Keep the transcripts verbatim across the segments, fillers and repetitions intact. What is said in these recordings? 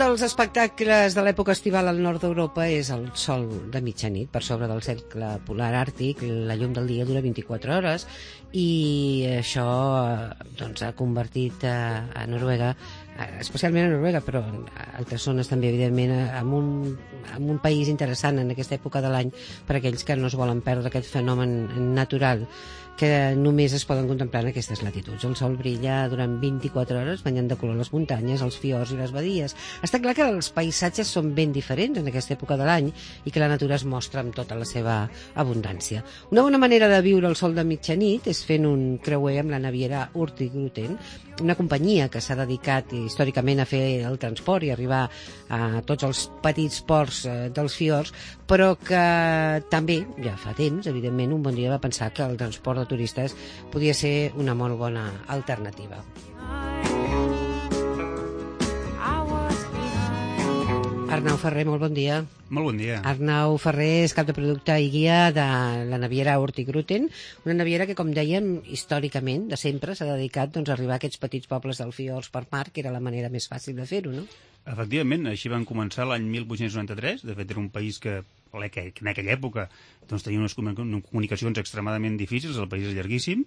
dels espectacles de l'època estival al nord d'Europa és el sol de mitjanit per sobre del cercle polar àrtic. La llum del dia dura vint-i-quatre hores i això doncs, ha convertit a, a Noruega, especialment a Noruega, però a altres zones també, evidentment, en un, en un país interessant en aquesta època de l'any per a aquells que no es volen perdre aquest fenomen natural que només es poden contemplar en aquestes latituds. El sol brilla durant vint-i-quatre hores, banyant de color les muntanyes, els fiords i les badies. Està clar que els paisatges són ben diferents en aquesta època de l'any i que la natura es mostra amb tota la seva abundància. Una bona manera de viure el sol de mitjanit és fent un creuer amb la naviera Hurtigruten, una companyia que s'ha dedicat històricament a fer el transport i arribar a tots els petits ports dels fiords, però que també, ja fa temps, evidentment, un bon dia va pensar que el transport de turistes podia ser una molt bona alternativa. Arnau Ferrer, molt bon dia. Molt bon dia. Arnau Ferrer és cap de producte i guia de la naviera Hurtigruten, una naviera que, com dèiem, històricament, de sempre, s'ha dedicat doncs, a arribar a aquests petits pobles del fiords per mar, que era la manera més fàcil de fer-ho, no? Efectivament, així van començar l'any mil vuit-cents noranta-tres. De fet, era un país que, que en aquella època doncs, tenia unes comunicacions extremadament difícils. El país és llarguíssim.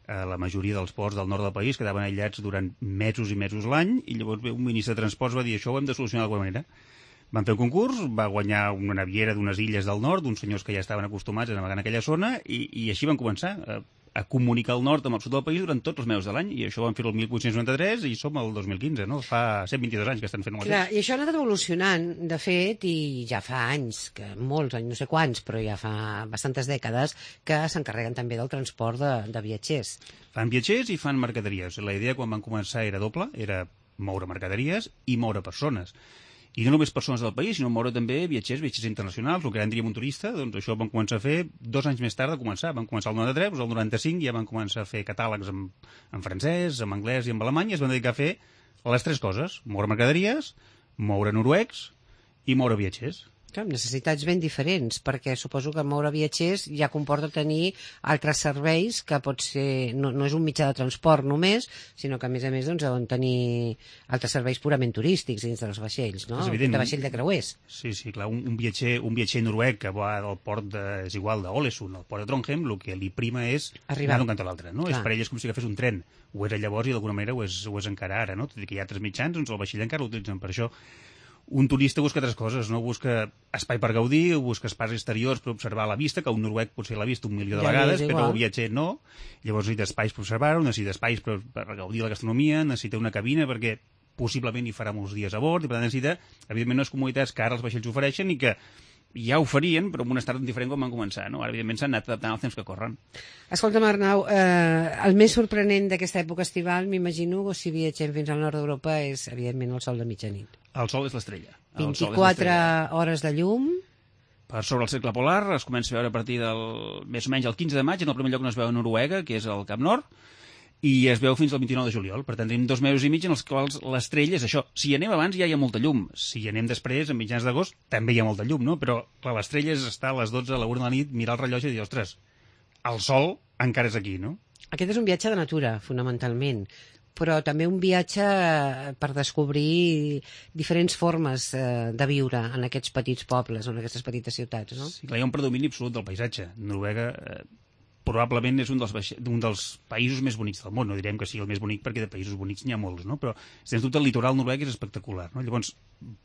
La majoria dels ports del nord del país quedaven aïllats durant mesos i mesos l'any i llavors un ministre de Transports va dir això ho hem de solucionar d'alguna manera. Van fer un concurs, va guanyar una naviera d'unes illes del nord, d'uns senyors que ja estaven acostumats a navegar en aquella zona i, i així van començar a, a comunicar el nord amb el sud del país durant tots els mesos de l'any i això ho van fer el mil vuit-cents noranta-tres i som al dos mil quinze, no? Fa cent vint-i-dos anys que estan fent el Clar, mateix. i això ha anat evolucionant, de fet, i ja fa anys, que molts anys, no sé quants, però ja fa bastantes dècades, que s'encarreguen també del transport de, de viatgers. Fan viatgers i fan mercaderies. La idea quan van començar era doble, era moure mercaderies i moure persones. I no només persones del país, sinó moure també viatgers, viatgers internacionals, el que ara en diríem un turista, doncs això van començar a fer dos anys més tard de començar. Van començar el noranta-tres, doncs el noranta-cinc ja van començar a fer catàlegs en, en francès, en anglès i en alemany, i es van dedicar a fer les tres coses: moure mercaderies, moure noruecs i moure viatgers. Clar, necessitats ben diferents, perquè suposo que moure viatgers ja comporta tenir altres serveis que pot ser, no, no és un mitjà de transport només, sinó que a més a més doncs, deuen tenir altres serveis purament turístics dins dels vaixells, no? De vaixell de creuers. Sí, sí, clar, un, un, viatger, un viatger noruec que va del port de, és igual, d'Ålesund al port de Trondheim, el que li prima és arribar anar d'un cantó a l'altre, no? És per ell és com si agafés un tren, ho era llavors i d'alguna manera ho és, ho és encara ara, no? Tot i que hi ha altres mitjans, doncs el vaixell encara l'utilitzen per això. Un turista busca altres coses, no? Busca espai per gaudir, busca espais exteriors per observar la vista, que un noruec potser l'ha vist un milió de ja vegades, però el viatger no. Llavors necessita espais per observar-ho, necessita espais per, per gaudir de la gastronomia, necessita una cabina perquè possiblement hi farà molts dies a bord, i per tant necessita, evidentment, unes comoditats que ara els vaixells ofereixen i que ja oferien, però amb un estat diferent com van començar, no? Ara, evidentment, s'han anat adaptant als temps que corren. Escolta'm, Arnau, eh, el més sorprenent d'aquesta època estival, m'imagino, si viatgem fins al nord d'Europa, és, evidentment, el sol de mitjanit. El sol és l'estrella. vint-i-quatre hores de llum. Per sobre el cercle polar es comença a veure a partir del, més o menys, el quinze de maig, en el primer lloc on es veu a Noruega, que és el Cap Nord, i es veu fins al vint-i-nou de juliol. Per tant, tenim dos mesos i mig en els quals l'estrella és això. Si hi anem abans ja hi ha molta llum. Si hi anem després, a mitjans d'agost, també hi ha molta llum, no? Però clar, l'estrella és estar a les dotze a la una de la nit, mirar el rellotge i dir, ostres, el sol encara és aquí, no? Aquest és un viatge de natura, fonamentalment, però també un viatge per descobrir diferents formes de viure en aquests petits pobles o en aquestes petites ciutats, no? Sí, clar, hi ha un predomini absolut del paisatge. Noruega eh, probablement és un dels, un dels països més bonics del món. No direm que sigui el més bonic perquè de països bonics n'hi ha molts, no? Però, sens dubte, el litoral noruec és espectacular, no? Llavors,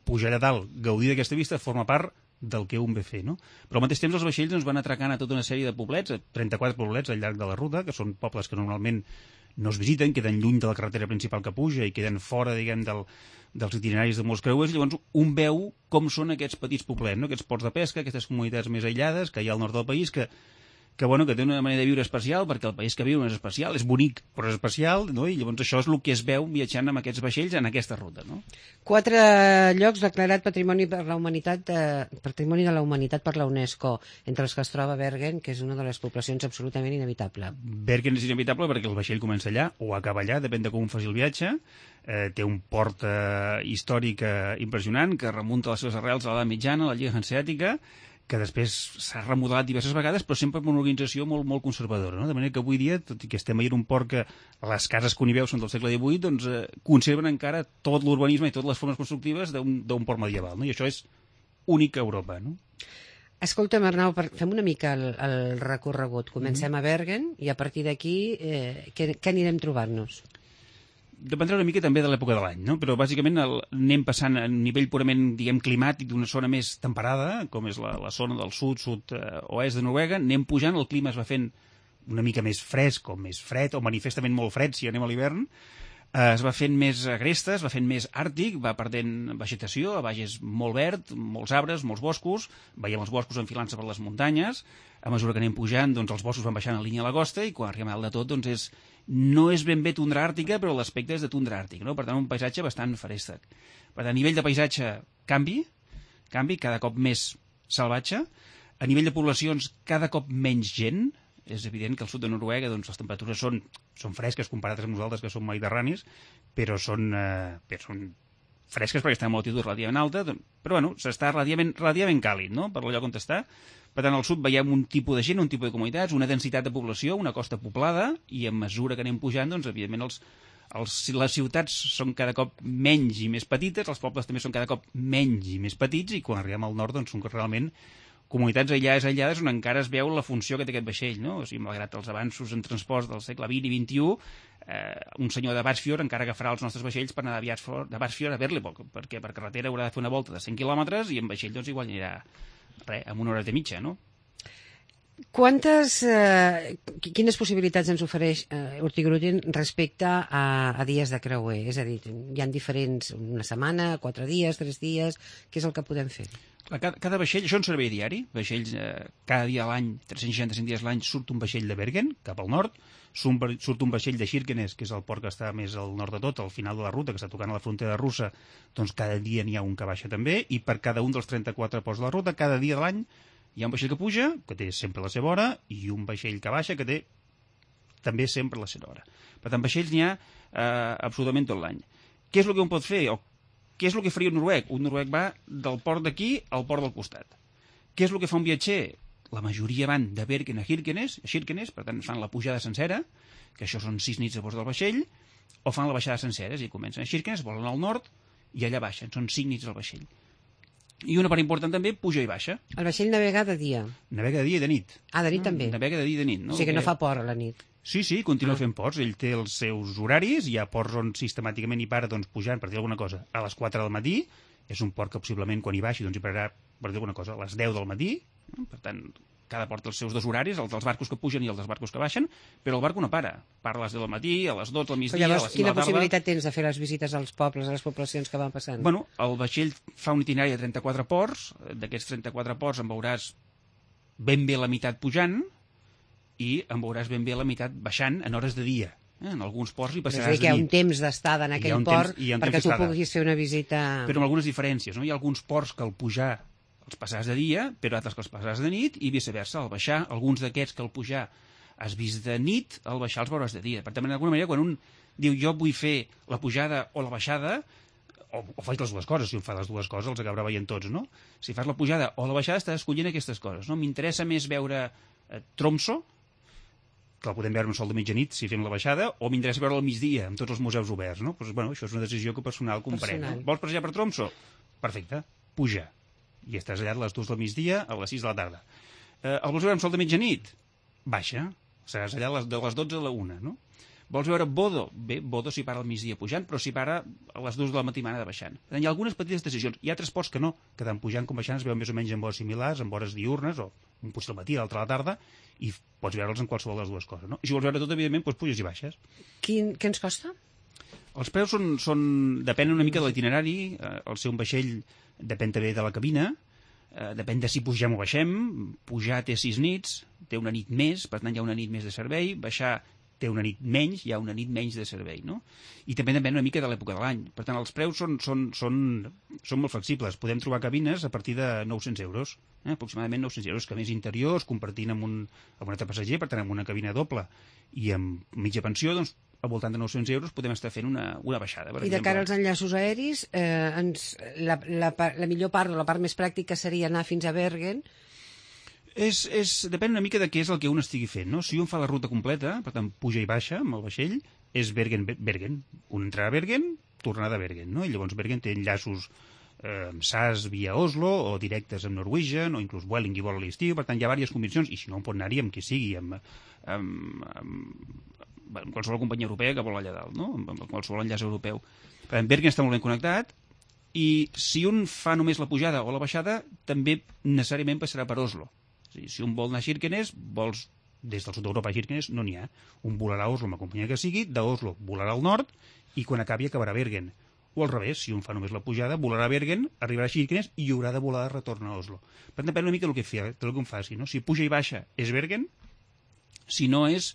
pujar allà dalt, gaudir d'aquesta vista, forma part del que un ve fer, no? Però al mateix temps els vaixells ens van atracant a tota una sèrie de poblets, trenta-quatre poblets al llarg de la ruta, que són pobles que normalment no es visiten, queden lluny de la carretera principal que puja i queden fora, diguem, del, dels itineraris de molts creuers. Llavors un veu com són aquests petits poblets, no? Aquests ports de pesca, aquestes comunitats més aïllades que hi ha al nord del país, que que, bueno, que té una manera de viure especial, perquè el país que viu és especial, és bonic, però és especial, no? I llavors això és el que es veu viatjant amb aquests vaixells en aquesta ruta, no? Quatre llocs declarat Patrimoni per la Humanitat, eh, Patrimoni de la Humanitat per la UNESCO, entre els que es troba Bergen, que és una de les poblacions absolutament inevitable. Bergen és inevitable perquè el vaixell comença allà o acaba allà, depèn de com faci el viatge. Eh, té un port eh, històric eh, impressionant que remunta les seves arrels a l'edat mitjana, a la Lliga Hanseàtica, que després s'ha remodelat diverses vegades, però sempre amb una organització molt, molt conservadora, no? De manera que avui dia, tot i que estem veient un port que les cases que hi veu són del segle divuit, doncs eh, conserven encara tot l'urbanisme i totes les formes constructives d'un port medieval, no? I això és únic a Europa, no? Escolta'm, Arnau, fem una mica el, el recorregut. Comencem mm. a Bergen i a partir d'aquí eh, què, què anirem trobant-nos? Dependrà una mica també de l'època de l'any, no? Però bàsicament el, anem passant a nivell purament, diguem, climàtic d'una zona més temperada, com és la, la zona del sud, sud-oest de Noruega, anem pujant, el clima es va fent una mica més fresc o més fred, o manifestament molt fred si anem a l'hivern, eh, es va fent més agresta, es va fent més àrtic, va perdent vegetació, a baix és molt verd, molts arbres, molts boscos, veiem els boscos enfilant-se per les muntanyes, a mesura que anem pujant, doncs els boscos van baixant en línia a la costa i quan arribem a dalt de tot, doncs és no és ben bé tundra àrtica, però l'aspecte és de tundra àrtic, no? Per tant, un paisatge bastant feréstec. Per tant, a nivell de paisatge, canvi, canvi, cada cop més salvatge. A nivell de poblacions, cada cop menys gent. És evident que al sud de Noruega doncs, les temperatures són, són fresques comparades amb nosaltres, que som mediterranis, però són, eh, però són fresques perquè estem a una altitud relativament alta, doncs, però bueno, s'està relativament, relativament càlid, no?, per el lloc on està. Per tant, al sud veiem un tipus de gent, un tipus de comunitats, una densitat de població, una costa poblada, i a mesura que anem pujant, doncs, evidentment, els, els, les ciutats són cada cop menys i més petites, els pobles també són cada cop menys i més petits, i quan arribem al nord, doncs, són realment comunitats aïllades, aïllades, on encara es veu la funció que té aquest vaixell, no? O sigui, malgrat els avanços en transports del segle vint i vint-i-u, eh, un senyor de Barsfjord encara agafarà els nostres vaixells per anar de Barsfjord a Berlevåg, perquè per carretera haurà de fer una volta de cent quilòmetres i en vaixell, doncs, igual anirà res, amb una hora de mitja, no? Quantes, eh, quines possibilitats ens ofereix eh, Hurtigruten respecte a, a dies de creuer? És a dir, hi ha diferents, una setmana, quatre dies, tres dies, què és el que podem fer? Cada, cada vaixell, això és un servei diari, vaixells, eh, cada dia a l'any, tres-cents seixanta-cinc dies a l'any, surt un vaixell de Bergen, cap al nord, surt un vaixell de Kirkenes, que és el port que està més al nord de tot, al final de la ruta, que està tocant a la frontera russa, doncs cada dia n'hi ha un que baixa també, i per cada un dels trenta-quatre ports de la ruta, cada dia de l'any, hi ha un vaixell que puja, que té sempre la seva hora, i un vaixell que baixa, que té també sempre la seva hora. Per tant, vaixells n'hi ha eh, absolutament tot l'any. Què és el que un pot fer? O què és el que faria un noruec? Un noruec va del port d'aquí al port del costat. Què és el que fa un viatger? La majoria van de Bergen a Kirkenes, a Kirkenes, per tant fan la pujada sencera, que això són sis nits a bord del vaixell, o fan la baixada sencera, i comencen a Kirkenes, volen al nord, i allà baixen, són cinc nits al vaixell. I una part important també, puja i baixa. El vaixell navega de dia? Navega de dia i de nit. Ah, de nit no? també? Navega de dia i de nit. No? O sigui que no fa port a la nit. Sí, sí, continua ah. fent ports. Ell té els seus horaris, hi ha ports on sistemàticament hi para doncs, pujant, per dir alguna cosa, a les quatre del matí. És un port que possiblement quan hi baixi doncs, hi pararà, per dir alguna cosa, a les deu del matí. Per tant, cada port té els seus dos horaris, els dels barcos que pugen i els dels barcos que baixen, però el barco no para. Para a les deu del matí, a les dotze del migdia, llavors, a les cinc de la tarda. Quina possibilitat tens de fer les visites als pobles, a les poblacions que van passant? Bueno, el vaixell fa un itinerari de trenta-quatre ports. D'aquests trenta-quatre ports en veuràs ben bé la meitat pujant i en veuràs ben bé la meitat baixant en hores de dia. Eh? En alguns ports hi passaràs de nit. És a dir, que hi ha un temps d'estada en aquell port temps, perquè tu puguis fer una visita... Però amb algunes diferències, no? Hi ha alguns ports que al pujar els passaràs de dia, però altres que els passaràs de nit, i viceversa, al baixar, alguns d'aquests que al pujar has vist de nit, al baixar els veuràs de dia. Per tant, d'alguna manera, quan un diu jo vull fer la pujada o la baixada, o, o faig les dues coses, si un fa les dues coses els acabarà veient tots, no? Si fas la pujada o la baixada estàs escollint aquestes coses, no? M'interessa més veure eh, Tromsø, que la podem veure un sol de mitjanit si fem la baixada, o m'interessa veure al migdia, amb tots els museus oberts, no? Pues, bueno, això és una decisió que personal comprèn. No? Vols passejar per Tromsø? Perfecte, puja. I estàs allà a les dues del migdia, a les sis de la tarda. Eh, el vols veure amb sol de mitjanit? Baixa. Seràs allà a les, de les dotze a la una, no? Vols veure Bodo? Bé, Bodo s'hi para al migdia pujant, però s'hi para a les dues de la matinada baixant. Hi ha algunes petites decisions. Hi ha altres ports que no, que tant pujant com baixant es veuen més o menys en hores similars, en hores diurnes, o un potser al matí, l'altre a la tarda, i pots veure'ls en qualsevol de les dues coses, no? I si vols veure tot, evidentment, doncs puges i baixes. Quin, què ens costa? Els preus són, són depenen una mica de l'itinerari, eh, el ser un vaixell depèn també de la cabina, eh, depèn de si pugem o baixem. Pujar té sis nits, té una nit més, per tant hi ha una nit més de servei, baixar té una nit menys, hi ha una nit menys de servei, no? I també depèn una mica de l'època de l'any. Per tant, els preus són, són, són, són molt flexibles. Podem trobar cabines a partir de nou-cents euros, eh? Aproximadament nou-cents euros, cabines interiors, compartint amb un, amb un altre passager, per tant, amb una cabina doble i amb mitja pensió, doncs, al voltant de nou-cents euros podem estar fent una, una baixada. Per I de cara als enllaços aeris, eh, ens, la, la, la millor part o la part més pràctica seria anar fins a Bergen És, és, depèn una mica de què és el que un estigui fent, no? Si un fa la ruta completa, per tant, puja i baixa amb el vaixell, és Bergen-Bergen. Un entrada a Bergen, tornada a Bergen, no? I llavors Bergen té enllaços eh, amb S A S via Oslo, o directes amb Norwegian, o inclús Vueling i vol a l'estiu, per tant, hi ha diverses combinacions, i si no, un pot anar-hi amb qui sigui, amb, amb, amb, amb qualsevol companyia europea que vol allà dalt, no? Amb, amb qualsevol enllaç europeu. Per tant, Bergen està molt ben connectat, i si un fa només la pujada o la baixada, també necessàriament passarà per Oslo. És a dir, si un vol anar a Kirkenes, vols des del sud d'Europa a Kirkenes, no n'hi ha. Un volarà a Oslo amb la companyia que sigui, d'Oslo volarà al nord, i quan acabi acabarà a Bergen. O al revés, si un fa només la pujada, volarà a Bergen, arribarà a Kirkenes i haurà de volar de retorn a Oslo. Per tant, depèn una mica del que, fa, del que un faci. No? Si puja i baixa és Bergen, si no és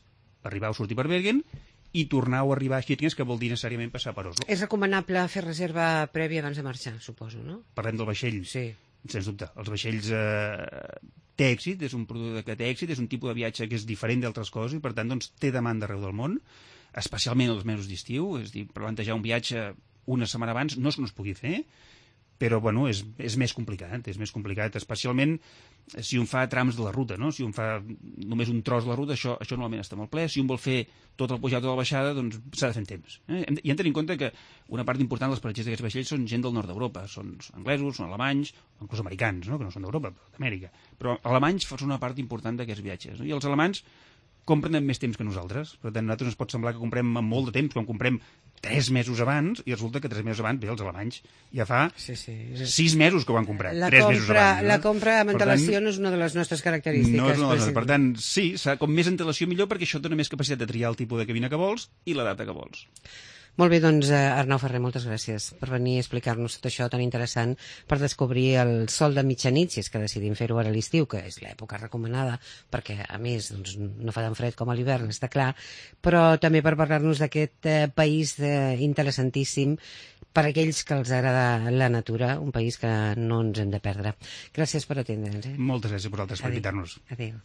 arribar o sortir per Bergen, i tornar o arribar a Kirkenes, que vol dir necessàriament passar per Oslo. És recomanable fer reserva prèvia abans de marxar, suposo, no? Parlem del vaixell. Sí. Sens dubte. Els vaixells eh, té èxit, és un producte que té èxit, és un tipus de viatge que és diferent d'altres coses i, per tant, doncs, té demanda arreu del món, especialment els mesos d'estiu. És a dir, plantejar un viatge una setmana abans no és que no es pugui fer, però bueno, és, és més complicat, és més complicat, especialment si un fa trams de la ruta, no? Si un fa només un tros de la ruta, això, això normalment està molt ple. Si un vol fer tot el pujat o la baixada, doncs s'ha de fer en temps. Eh? I hem de tenir en compte que una part important dels passatgers d'aquests vaixells són gent del nord d'Europa, són anglesos, són alemanys, inclús americans, no? Que no són d'Europa, però d'Amèrica. Però alemanys són una part important d'aquests viatges. No? I els alemanys compren amb més temps que nosaltres. Per tant, a nosaltres ens pot semblar que comprem amb molt de temps, quan comprem tres mesos abans, i resulta que tres mesos abans, bé, els alemanys ja fa sí, sí. sis mesos que ho han comprat, la tres compra, mesos abans. No? La compra amb antelació no és una de les nostres característiques. No és una de les nostres. Per tant, sí, com més antelació millor, perquè això et dona més capacitat de triar el tipus de cabina que vols i la data que vols. Molt bé, doncs, Arnau Ferrer, moltes gràcies per venir a explicar-nos tot això tan interessant per descobrir el sol de mitjanit, si és que decidim fer-ho ara a l'estiu, que és l'època recomanada, perquè, a més, doncs, no fa tan fred com a l'hivern, està clar, però també per parlar-nos d'aquest eh, país eh, interessantíssim per a aquells que els agrada la natura, un país que no ens hem de perdre. Gràcies per atendre'ns. Eh? Moltes gràcies a vosaltres per invitar-nos. Adéu.